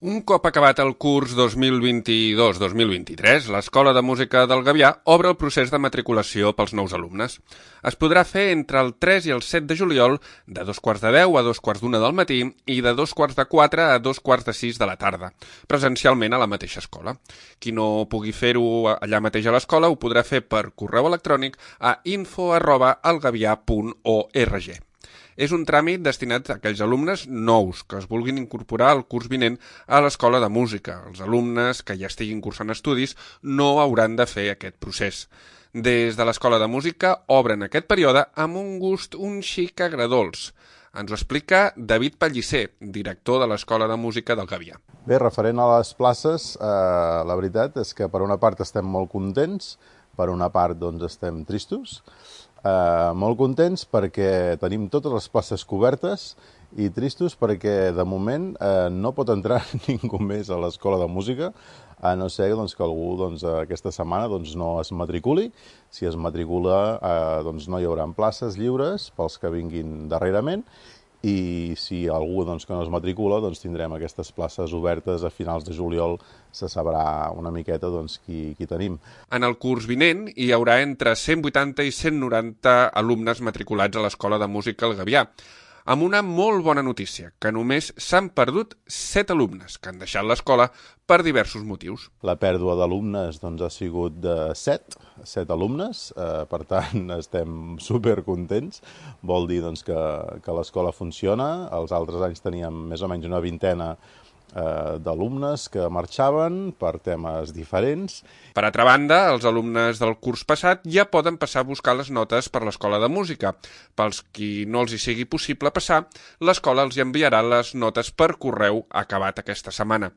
Un cop acabat el curs 2022-2023, l'Escola de Música del Gavià obre el procés de matriculació pels nous alumnes. Es podrà fer entre el 3 i el 7 de juliol, de 2:15 a 2:45 del matí i de 2:45 a 2:45 de la tarda, presencialment a la mateixa escola. Qui no pugui fer-ho allà mateix a l'escola ho podrà fer per correu electrònic a info@elgavià.org. És un tràmit destinat a aquells alumnes nous que es vulguin incorporar al curs vinent a l'escola de música. Els alumnes que ja estiguin cursant estudis no hauran de fer aquest procés. Des de l'escola de música obren aquest període amb un gust un xic agredolç. Ens ho explica David Pellicer, director de l'Escola de Música del Gavià. Bé, referent a les places, la veritat és que per una part estem molt contents, per una part doncs estem tristos. Molt contents perquè tenim totes les places cobertes i tristos perquè de moment no pot entrar ningú més a l'escola de música, a no ser doncs, que algú aquesta setmana no es matriculi. Si es matricula no hi haurà places lliures pels que vinguin darrerament, i si algú que no es matricula tindrem aquestes places obertes a finals de juliol. Se sabrà una miqueta qui tenim. En el curs vinent hi haurà entre 180 i 190 alumnes matriculats a l'Escola de Música El Gavià, amb una molt bona notícia, que només s'han perdut 7 alumnes que han deixat l'escola per diversos motius. La pèrdua d'alumnes ha sigut de 7 alumnes, per tant estem supercontents. Vol dir que l'escola funciona. Els altres anys teníem més o menys una vintena d'alumnes que marxaven per temes diferents. Per altra banda, els alumnes del curs passat ja poden passar a buscar les notes per l'Escola de Música. Pels qui no els hi sigui possible passar, l'escola els enviarà les notes per correu acabat aquesta setmana.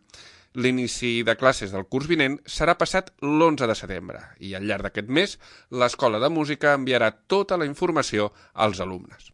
L'inici de classes del curs vinent serà passat l'11 de setembre i al llarg d'aquest mes l'escola de música enviarà tota la informació als alumnes.